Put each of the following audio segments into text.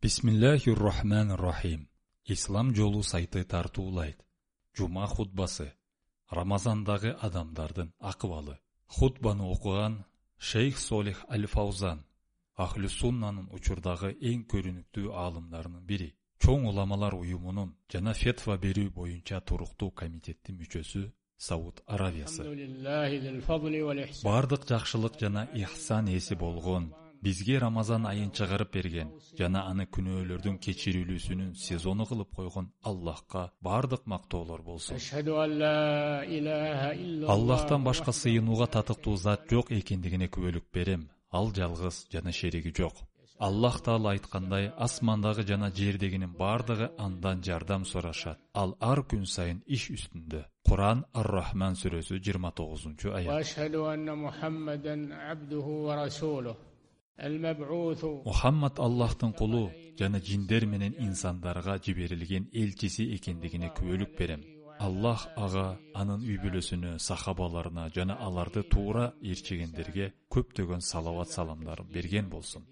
Бисмиллахир-рахманир-рахим. Ислам жолу сайты тартуулайт. Жума хутбасы. Рамазандагы адамдардын акыбалы. Хутбаны окуган Шейх Солих Аль-Фаузан, Ахлюс-Суннанын учурдагы эң көрүнүктүү аалымдарынын бири. Чоң уламалар уюмунун жана фетва берүү боюнча туруктуу комитеттин мүчөсү Сауд Аравиясы. Бардык жакшылык жана ихсан ээси болгон, бизге Рамазан айын чыгарып берген жана аны күнөөлөрдүн кечирилүүсүнүн сезону кылып койгон Аллахка бардык мактоолор болсун. Аллахтан башка сыйынууга татыктуу зат жок экендигине күбөлүк берем. Ал жалгыз жана шериги жок. Аллах Таала айткандай, асмандагы жана жердегинин бардыгы андан жардам сурашат. Ал ар күн сайын иш үстүндө. Кур'ан Ар-Рахман сүрөсү 29-аят. Мухаммад Аллахтын кулу жана жиндер менен инсандарга жиберилген элчиси экендигине күбөлүк берем. Аллах ага, анын үй бүлөсүнө, сахабаларына жана аларды туура ээрчегендерге көптөгөн салават саламдар берген болсун.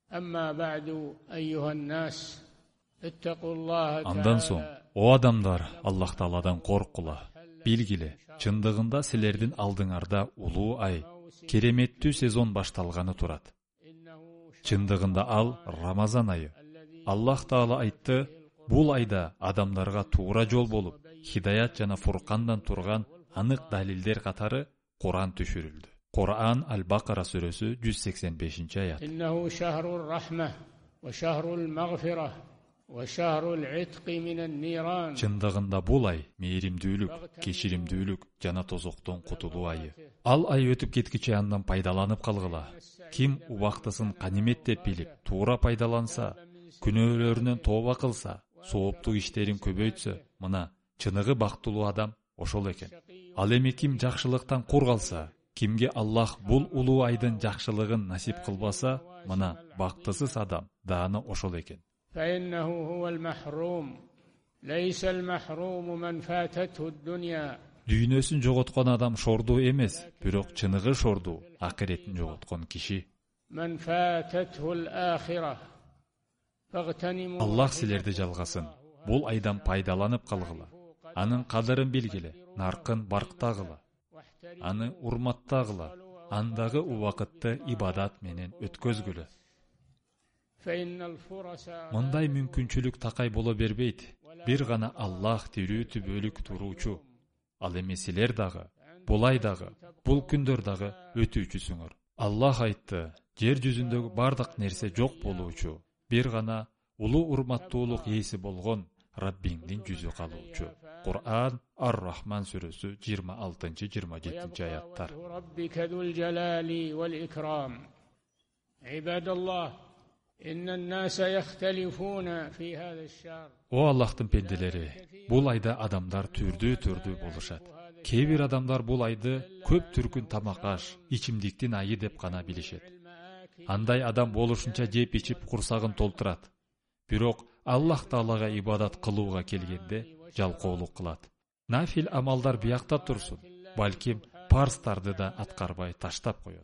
Андан соң, о адамдар, Аллах Тааладан коркула. Билгиле, чындыгында силердин алдыңарда улуу ай, кереметтүү сезон башталганы турат. Чындыгында ал Рамазан айы. Аллах Таала айтты, бул айда адамдарга туура жол болуп, хидаят жана фуркандан турган анык далилдер катары Кур'ан түшүрүлдү. Кур'ан Аль-Бакара сүрөсү 185-аят. Иннаху шахрур рахма ва шахрул магфира ва шахрул итқи минан ниран. Чындыгында бул ай мээримдүүлүк, кечиримдүүлүк жана тозоктон кутулуу айы. Ал ай өтүп кеткиче андан пайдаланып калгыла. Ким убактысын канимет деп билип, туура пайдаланса, күнөөлөрүнөн тооба кылса, сооптуу иштерин көбөйтсө, мына чыныгы бактылуу адам ошол экен. Ал эми ким жакшылыктан кур калса, кимге Аллах бул улуу айдын жакшылыгын насип кылбаса, мына бактысыз адам дааны ошол экен. Дүйнөсүн жоготкон адам шордуу эмес, бирок чыныгы шордуу акыретин жоготкон киши. Аллах силерди жалгасын. Бул айдан пайдаланып калгыла. Анын кадырын билгиле, наркын барктагыла. Аны урматтагыла. Андагы убакытты ибадат менен өткөзгүлө. Мындай мүмкүнчүлүк такай боло бербейт. Бир гана Аллах тирүү түбөлүк туруучу. Ал эми силер дагы, бул ай дагы, бул күндөр дагы өтүүчүсүңөр. Аллах айтты, жер жүзүндөгү бардык нерсе жок болуучу. Бир гана улуу урматтуулук ээси болгон Раббиңдин жүзү калуучу. Кур'ан Ар-Рахман сүрөсү 26-27 аяттар. О Аллахтын пенделери, бул айда адамдар түрдүү болушат. Кээ бир адамдар бул айды көп түркүн тамак аш, ичимдиктин айы деп гана билишет. Андай адам болушунча жеп ичип курсагын толтурат. Бирок Аллах Таалага ибадат кылууга келгенде жалкоолук кылат. Нафил амалдар биякта турсун, балким парстарды да аткарбай таштап коет.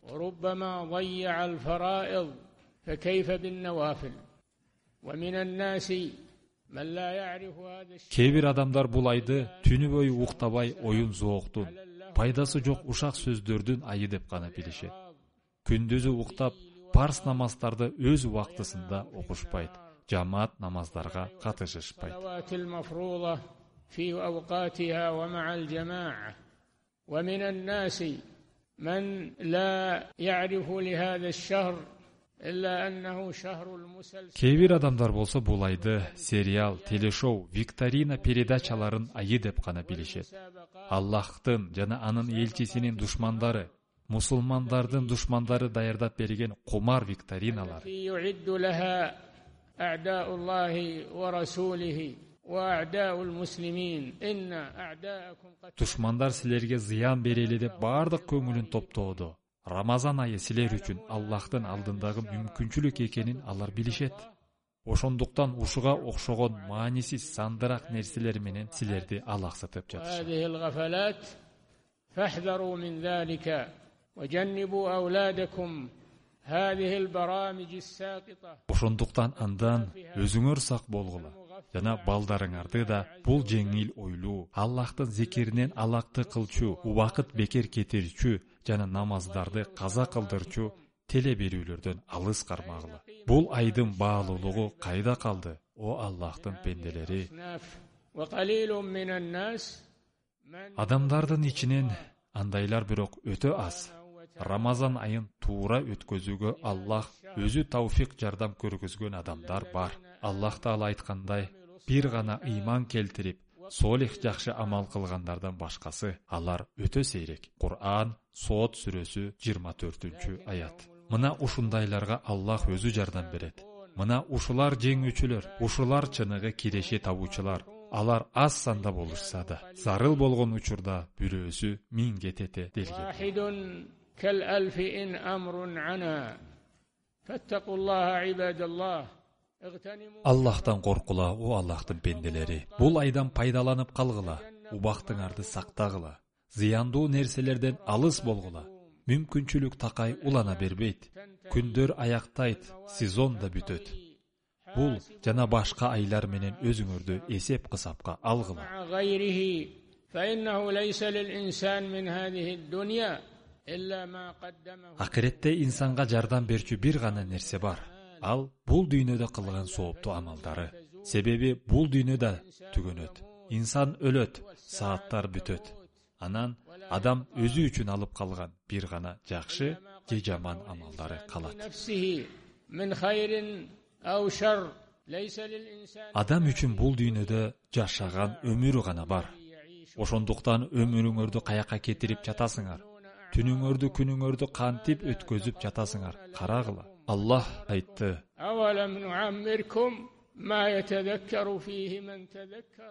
Кээ бир адамдар бул айды түнү бою уктабай оюн зооктун, пайдасы жок ушак сөздөрдүн айы деп гана билишет. Күндүзү уктап, парс намаздарды өз убактысында окушпайт. Жамаат намаздарга катышышпайт. Кээ бир адамдар болсо бул айды сериал, телешоу, викторина передачаларын айы деп гана билишет. Аллахтын жана анын элчисинин душмандары, мусулмандардын душмандары даярдап берген кумар викториналар. أعداء الله ورسوله وأعداء المسلمين إن أعداءكم قد Душмандар силерге зыян берели деп бардык көңүлүн топтоодо. Рамазан айы силер үчүн Аллахтын алдындагы мүмкүнчүлүк экенин алар билишет. Ошондуктан ушуга окшогон маанисиз сандырак нерселер менен силерди алаксытып жатышат. Ошондуктан андан өзүңөр сак болгула жана балдарыңарды да бул жеңил ойлуу, Аллахтын зикиринен алакты кылчу, убакыт бекер кетирчү жана намаздарды каза кылдырчу теле берүүлөрдөн алыс кармагыла. Бул айдын баалуулугу кайда калды, о Аллахтын пенделери? Адамдардын ичинен андайлар бирок өтө аз. Рамазан айын туура өткөзүүгө Аллах өзү тауфик жардам көргөзгөн адамдар бар. Аллах Таала айткандай, бир гана ыйман келтирип, солих жакшы амал кылгандардан башкасы алар өтө сейрек. Кур'ан Сот сүрөсү 24-аят. Мына ушундайларга Аллах өзү жардам берет. Мына ушулар жеңүүчүлөр, ушулар чыныгы киреше табуучулар. Алар аз санда болушса да, зарыл болгон учурда бирөөсү 1000 тете делген. Аллахтан коркула, о Аллахтын пенделери. Бул айдан пайдаланып калгыла, убактыңарды сактагыла, зыяндуу нерселерден алыс болгула. Мүмкүнчүлүк такай улана бербейт. Күндөр аяктайт, сезон да бүтөт. Бул жана башка айлар менен өзүңөрдү эсеп кысапка алгыла. Акыретте инсанга жардам берчү бир гана нерсе бар. Ал бул дүйнөдө кылган сооптуу амалдары. Себеби бул дүйнөдө түгөнөт. Инсан өлөт, сааттар бүтөт. Анан адам өзү үчүн алып калган бир гана жакшы же жаман амалдары калат. Адам үчүн бул дүйнөдө жашаган өмүрү гана бар. Ошондуктан өмүрүңөрдү каяка кетирип жатасыңар? Түнүңөрдү, күнүңөрдү кантип өткөзүп жатасыңар? Карагыла. Аллах айтты: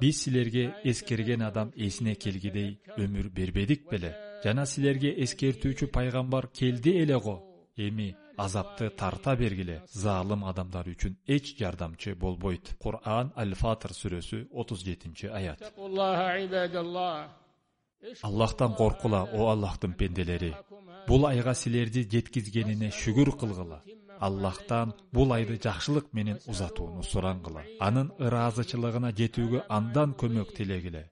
Биз силерге эскерген адам эсине келгидей өмүр бербедик беле? Жана силерге эскертүүчү пайгамбар келди эле го. Эми азапты тарта бергиле. Залым адамдар үчүн эч жардамчы болбойт. Кур'ан Аль-Фатыр сүрөсү 37-аят. Аллахтан коркула, о Аллахтын пенделери. Бул айга силерди жеткизгенине шүгүр кылгыла. Аллахтан бул айды жакшылык менен узатууну сураңгыла. Анын ыраазычылыгына жетүүгө андан көмөк тилегиле.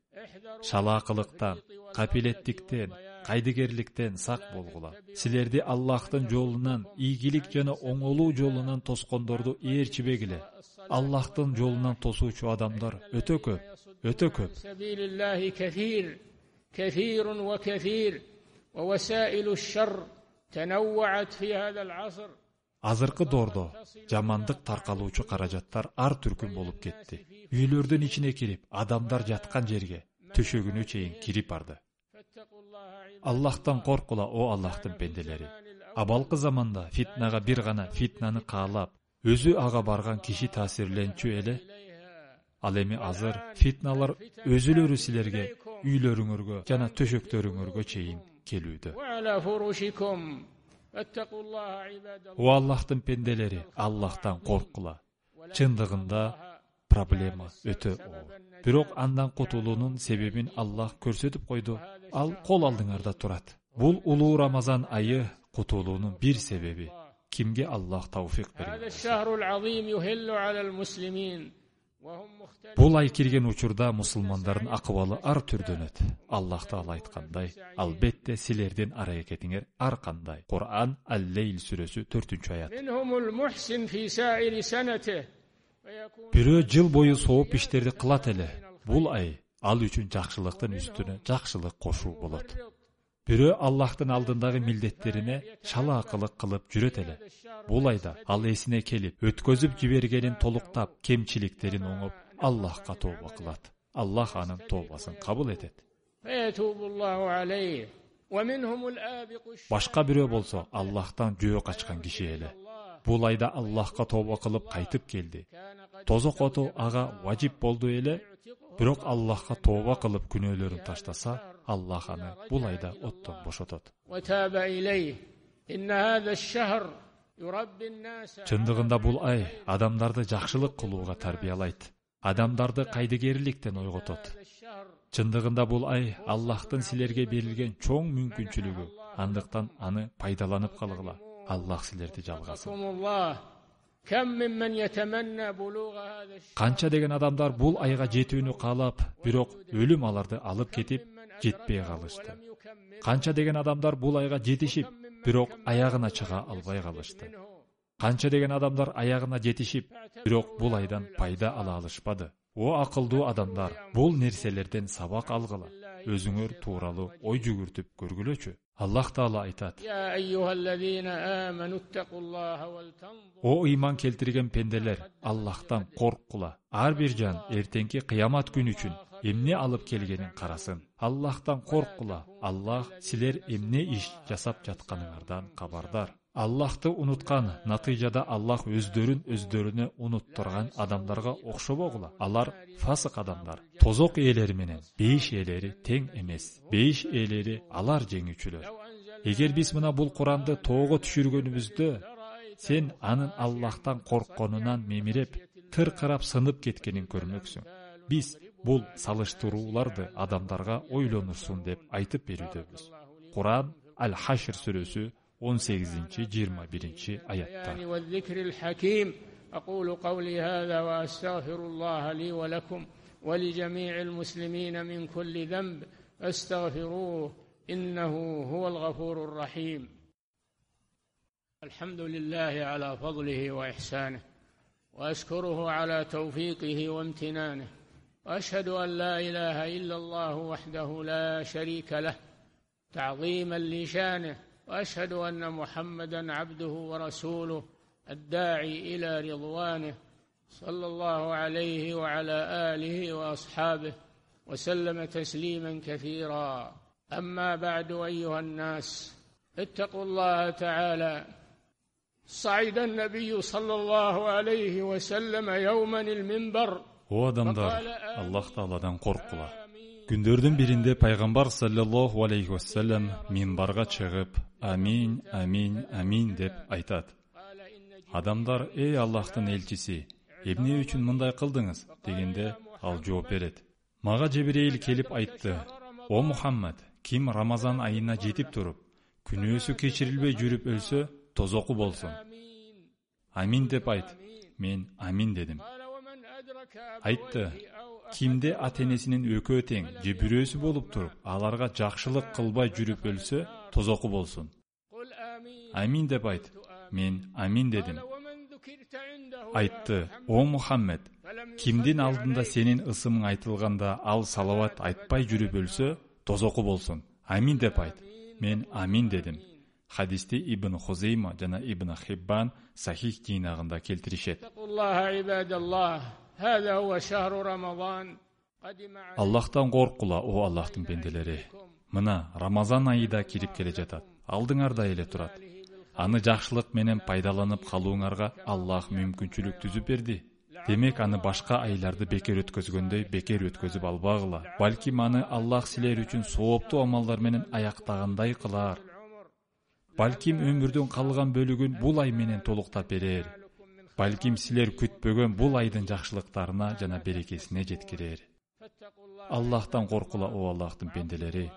Шалаакылыктан, капилеттиктен, кайдыгерликтен сак болгула. Силерди Аллахтын жолунан, ийгилик жана оңолуу жолунан тоскондорду ээрчибегиле. Аллахтын жолунан тосуучу адамдар өтө көп, өтө көп. Азыркы доордо жамандык таркалуучу каражаттар ар түркүн болуп кетти. Үйлөрдүн ичине кирип, адамдар жаткан жерге, төшөгүнө чейин кирип барды. Аллахтан коркула, о Аллахтын пенделери. Абалкы заманда фитнага бир гана фитнаны каалап, өзү ага барган киши таасирленчү эле. Ал эми азыр фитналар өзүлөрү силерге, үйлөрүңөргө жана төшөктөрүңөргө чейин келүүдө. О Аллахтын пенделери, Аллахтан коркула. Чындыгында проблема өтө оор. Бирок андан кутулуунун себебин Аллах көрсөтүп койду. Ал кол алдыңарда турат. Бул улуу Рамазан айы кутулуунун бир себеби. Кимге Аллах тауфик берген? Бул ай кирген учурда мусулмандардын акыбалы ар түрдөнөт. Аллах Таала айткандай, албетте силердин аракетиңер ар кандай. Кур'ан Ал-Лейл сүрөсү 4-аят. Бирөө жыл бою сооп иштерди кылат эле. Бул ай ал үчүн жакшылыктын үстүнө жакшылык кошуу болот. Бирөө Аллахтын алдындагы милдеттерине шалаакылык кылып жүрөт эле. Бул айда ал эсине келип, өткөзүп жибергенин толуктап, кемчиликтерин оңоп, Аллахка тооба кылат. Аллах анын тообасын кабыл этет. Башка бирөө болсо Аллахтан жөө качкан киши эле. Бул айда Аллахка тооба кылып кайтып келди. Тозок оту ага важип болду эле, бирок Аллахка тооба кылып күнөөлөрүн таштаса, Аллах аны бул айда оттон бошотот. Чындыгында бул ай адамдарды жакшылык кылууга тарбиялайт. Адамдарды кайдыгерликтен ойготот. Чындыгында бул ай Аллахтын силерге берилген чоң мүмкүнчүлүгү. Андыктан аны пайдаланып калгыла. Аллах силерди жалгасын. Канча деген адамдар бул айга жетүүнү каалап, бирок өлүм аларды алып кетип, жетпей калышты. Канча деген адамдар бул айга жетишип, бирок аягына чыга албай калышты. Канча деген адамдар аягына жетишип, бирок бул айдан пайда ала алышпады. О акылдуу адамдар, бул нерселерден сабак алгыла. Өзүңөр тууралуу ой жүгүртүп көргүлөчү. Аллах Таала айтат: О ыйман келтирген пенделер, Аллахтан корккула. Ар бир жан эртеңки кыямат күнү үчүн эмне алып келгенин карасын. Аллахтан корккула. Аллах силер эмне иш жасап жатканыңардан кабардар. Аллахты унуткан, натыйжада Аллах өздөрүнө унуттурган адамдарга окшобогула. Алар фасык адамдар. Тозок ээлери менен бейиш ээлери тең эмес. Бейиш ээлери алар жеңүүчүлөр. Эгер биз мына бул Куранды тоого түшүргөнүбүздө, сен анын Аллахтан коркконунан мемиреп, тыркырап сынып кеткенин көрмөксүң. Биз бул салыштырууларды адамдарга ойлонурсун деп айтып берүүдөбүз. Куран Аль-Хашр сүрөсү 18-21 аяттар. أقول قولي هذا وأستغفر الله لي ولكم ولجميع المسلمين من كل ذنب فاستغفروه إنه هو الغفور الرحيم. الحمد لله على فضله وإحسانه وأشكره على توفيقه وامتنانه وأشهد أن لا إله إلا الله وحده لا شريك له تعظيما لشانه وأشهد أن محمدا عبده ورسوله الداعي إلى رضوانه صلى الله عليه وعلى آله وأصحابه وسلم تسليما كثيرا. أما بعد أيها الناس اتقوا الله تعالى. صعد النبي صلى الله عليه وسلم يوما المنبر. O adamlar, Allah Taala'dan korkula. Gündөрдүн биринде пайгамбар саллаллаху алейхи вассалам минбарга чыгып, амин, амин, амин деп айтат. Адамдар, эй Аллахтын элчиси, эмне үчүн мындай кылдыңыз дегенде ал жооп берет. Мага Жебирейил келип айтты: О Мухаммад, ким Рамазан айына жетип туруп, күнөөсү кечирилбей жүрүп өлсө, тозоку болсун. Амин деп айт. Мен амин дедим. Айтты: кимде ата-энесинин экөө тең же бирөөсү болуп туруп, аларга жакшылык кылбай жүрүп өлсө, тозоку болсун. Амин деп айт. Мен амин дедим. Айтты: О Мухаммед, кимдин алдында сенин ысымың айтылганда ал салават айтпай жүрүп өлсө, тозоку болсун. Амин деп айт. Мен амин дедим. Хадисти Ибн Хузейма жана Ибн Хиббан сахих жыйнагында келтиришет. Аллахтан коркула, о Аллахтын бенделери. Мына Рамазан айы да кирип келе жатат. Алдыңарда эле турат. Аны жакшылык менен пайдаланып калууңарга Аллах мүмкүнчүлүк түзүп берди. Демек аны башка айларды бекер өткөзгөндөй бекер өткөзүп албагыла. Балким аны Аллах силер үчүн сооптуу амалдар менен аяктагандай кылар. Балким өмүрдүн калган бөлүгүн бул ай менен толуктап берер. Балким силер күтпөгөн бул айдын жакшылыктарына жана берекесине жеткирер. Аллахтан коркула, о Аллахтын бенделери.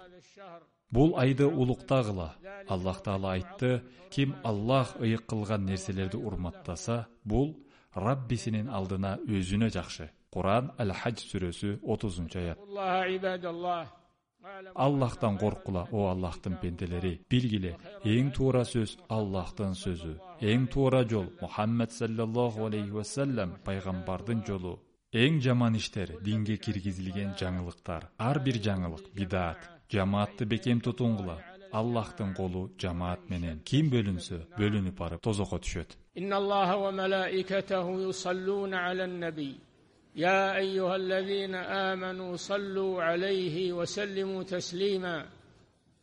Бул айды улуктагыла. Аллах Таала айтты: ким Аллах ыйык кылган нерселерди урматтаса, бул Раббисинин алдына өзүнө жакшы. Куран Аль-Хадж сүрөсү 30-аят. Аллахтан коркула, о Аллахтын бенделери. Билгиле, эң туура сөз Аллахтын сөзү. Эң туура жол Мухаммед саллаллаху алейхи вассалам пайгамбардын жолу. Эң жаман иштер динге киргизилген жаңылыктар. Ар бир жаңылык бидат. Жамаатты бекем тутуңгула. Аллахтын колу жамаат менен. Ким бөлүнсө, бөлүнүп барып тозокко түшөт. Инналлаха ва малаикатаху юсаллуна алан наби. يا أيها الذين آمنوا صلوا عليه وسلموا تسليما.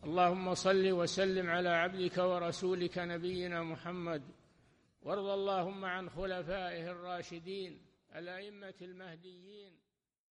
اللهم صل وسلم على عبدك ورسولك نبينا محمد وارض اللهم عن خلفائه الراشدين الأئمة المهديين